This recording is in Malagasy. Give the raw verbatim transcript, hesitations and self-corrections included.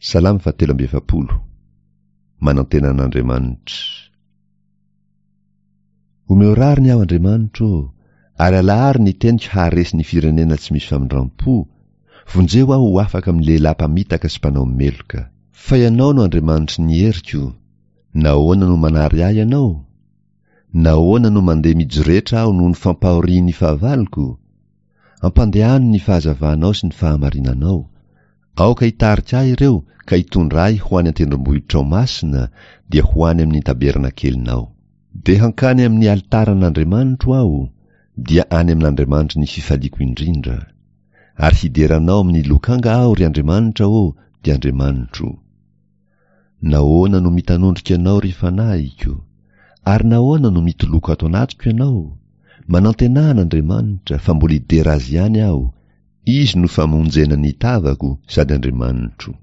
Salamo fahatelo amby efapolo. Manantena an'Andriamanitra. Omeo rariny aho Andriamanitro ô, ary alaharo ny teniko haharesy ny firenena tsy misy famindram-po, vonjeo aho ho afaka amin'ny lehilahy mpamitaka sy mpanao meloka. Fa Ianao no Andriamanitry ny heriko, nahoana no manary ahy Ianao? Nahoana no mandeha mijoretra aho noho ny fampahorian'ny fahavaloko? Ampandehano ny fahazavanao sy ny fahamarinanao. Aoka hitarika ahy ireo ka hitondra ahy ho any an-tendrombohitrao masina, dia ho any amin'ny tabernakelinao. Dia hankany amin'ny alitaran'Andriamanitro aho, dia any amin'Andriamanitry ny fifaliako indrindra. Ary hidera Anao amin'ny lokanga aho, ry Andriamanitra ô, dia Andriamanitro. Nahoana no mitanondrika Ianao, ry fanahiko? Ary nahoana no mitoloko ato anatiko Ianao? Manantenà an'Andriamanitra, fa mbola hidera Azy ihany aho, Izy no famonjena ny tavako sady Andriamanitro.